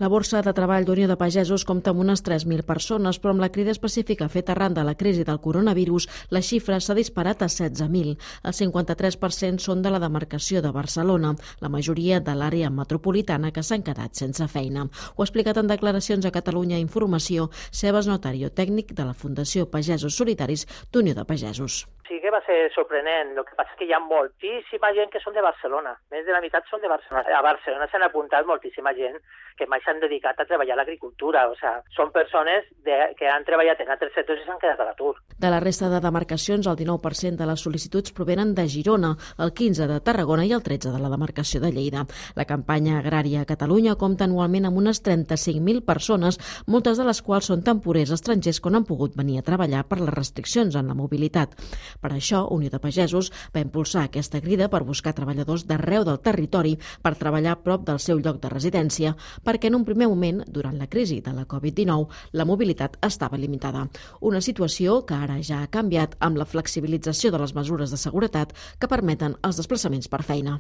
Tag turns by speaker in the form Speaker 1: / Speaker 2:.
Speaker 1: La borsa de treball d'Unió de Pagesos compta amb unes 3.000 persones, però amb la crida específica feta arran de la crisi del coronavirus, la xifra s'ha disparat a 16.000. El 53% són de la demarcació de Barcelona, la majoria de l'àrea metropolitana que s'han quedat sense feina. Ho ha explicat en declaracions a Catalunya Informació Sebas Notario, tècnic de la Fundació Pagesos Solitaris d'Unió de Pagesos.
Speaker 2: Sí que va ser sorprenent, el que passa és que hi ha moltíssima gent que són de Barcelona, més de la meitat són de Barcelona. A Barcelona s'han apuntat moltíssima gent que mai s'han dedicat a treballar a l'agricultura, o sigui, són persones que han treballat en altres sectors i s'han quedat a l'atur.
Speaker 1: De la resta de demarcacions, el 19% de les sol·licituds provenen de Girona, el 15% de Tarragona i el 13% de la demarcació de Lleida. La campanya agrària a Catalunya compta anualment amb unes 35.000 persones, moltes de les quals són temporers estrangers que no han pogut venir a treballar per les restriccions en la mobilitat. Per això, Unió de Pagesos va impulsar aquesta crida per buscar treballadors d'arreu del territori per treballar a prop del seu lloc de residència, perquè en un primer moment, durant la crisi de la Covid-19, la mobilitat estava limitada. Una situació que ara ja ha canviat amb la flexibilització de les mesures de seguretat que permeten els desplaçaments per feina.